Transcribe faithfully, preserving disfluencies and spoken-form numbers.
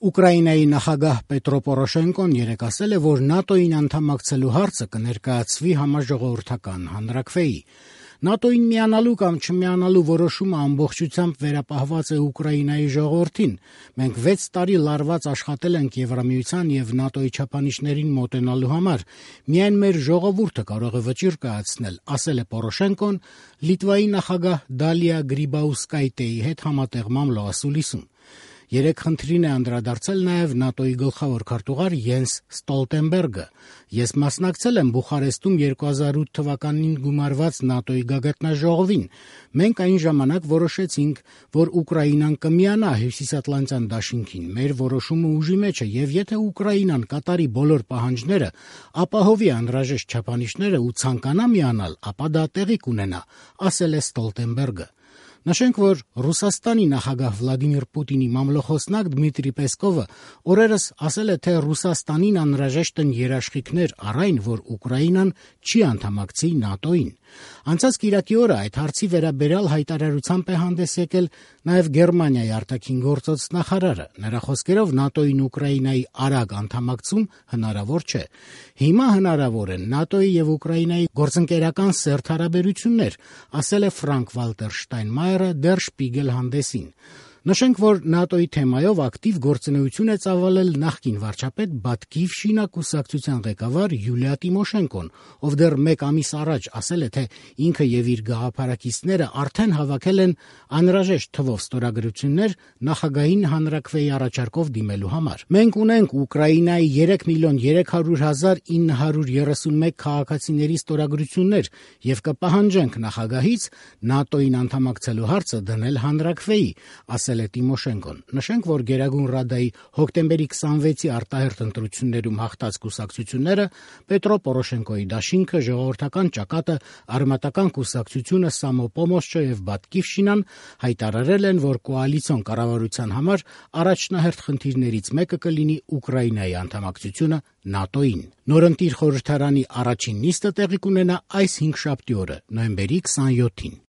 Ուկրաինայի նախագահ Պետրո Պորոշենկոն երեկ ասել է, որ ՆԱՏՕ-ին անդամակցելու հարցը կներկայացվի համաժողովրդական հանրաքվեի։ ՆԱՏՕ-ին միանալու կամ չմիանալու որոշումը ամբողջությամբ վերապահված է Ուկրաինայի ժողովրդին։ Մենք վեց տարի լարված աշխատել ենք Եվրամիության եւ ՆԱՏՕ-ի չափանիշներին մոտենալու համար։ Միայն մեր ժողովուրդը կարող է վճիռ կայացնել, ասել է Պորոշենկոն Լիտվայի նախագահ Դալիա Գրիբաուսկայտեի հետ համատեղմամբ լոասուլիսում։ Երեք խնդրին է անդրադարձել նաև ՆԱՏՕ-ի գլխավոր քարտուղար Յենս Ստոլտենբերգը։ Ես մասնակցել եմ Բուխարեստում երկու հազար ութ թվականին գումարված ՆԱՏՕ-ի գագաթնաժողովին։ Մենք այն ժամանակ որոշեցինք, որ Ուկրաինան կմիանա Հյուսիսատլանտյան դաշինքին։ Մեր որոշումը ուժի մեջ է, եւ եթե Ուկրաինան կատարի բոլոր պահանջները, ապահովի անհրաժեշտ չափանիշները ու ցանկանա միանալ, ապա դա տեղի կունենա, ասել է Ստոլտենբերգը։ Նշենք, որ Ռուսաստանի նախագահ Վլադիմիր Պուտինի մամլոխոսնակ Դմիտրի Պեսկովը օրերս ասել է, թե Ռուսաստանին անհրաժեշտ են երաշխիքներ առ այն, որ Ուկրաինան չի անդամակցի ՆԱՏՕ-ին։ Անցած կիրակի օրը այդ հարցի վերաբերյալ հայտարարությամբ է հանդես եկել նաև Գերմանիայի արտաքին գործոց նախարարը։ Նրա խոսքերով ՆԱՏՕ-ին Ուկրաինայի արագ անդամակցում հնարավոր չէ։ Հիմա հնարավոր են ՆԱՏՕ-ի եւ Ուկրաինայի գործընկերական սերտ հարաբերություններ, ասել է Ֆրանկ Վալտեր Շտայնմայերը Der Spiegel հանդեսին։ Նշենք, որ ՆԱՏՕ-ի թեմայով ակտիվ գործունեություն է ծավալել նախկին վարչապետ Բատկիվշինա կուսակցության ղեկավար Յուլիա Տիմոշենկոն, ով դեռ մեկ ամիս առաջ ասել է, թե ինքը եւ իր գաղափարակիցները արդեն հավաքել են անհրաժեշտ թվով ստորագրություններ նախագահին հանրաքվեի առաջարկով դիմելու համար։ Մենք ունենք Ուկրաինայի երեք միլիոն երեք հարյուր հազար ինը հարյուր երեսունմեկ քաղաքացիների ստորագրություններ եւ կպահանջենք նախագահից ՆԱՏՕ-ին անդամակցելու հարցը դնել հանրաքվեի, ասել է Տիմոշենկոն։ Նշենք, որ Գերագույն Ռադայի հոկտեմբերի քսանվեցի արտահերթ ընտրություններում հաղթած կուսակցությունները Պետրո Պորոշենկոյի դաշինքը, Ժողովրդական ճակատը, Արմատական կուսակցությունը, Սամոպոմոզչը եւ Բատկիվշինան հայտարարել են, որ կոալիցիոն կառավարության համար առաջնահերթ խնդիրներից մեկը կլինի Ուկրաինայի անդամակցությունը ՆԱՏՕ-ին։ Նորընտիր խորհրդարանի առաջին նիստը տեղի կունենա այս հինգշաբթի օրը, նոյեմբերի քսանյոթին։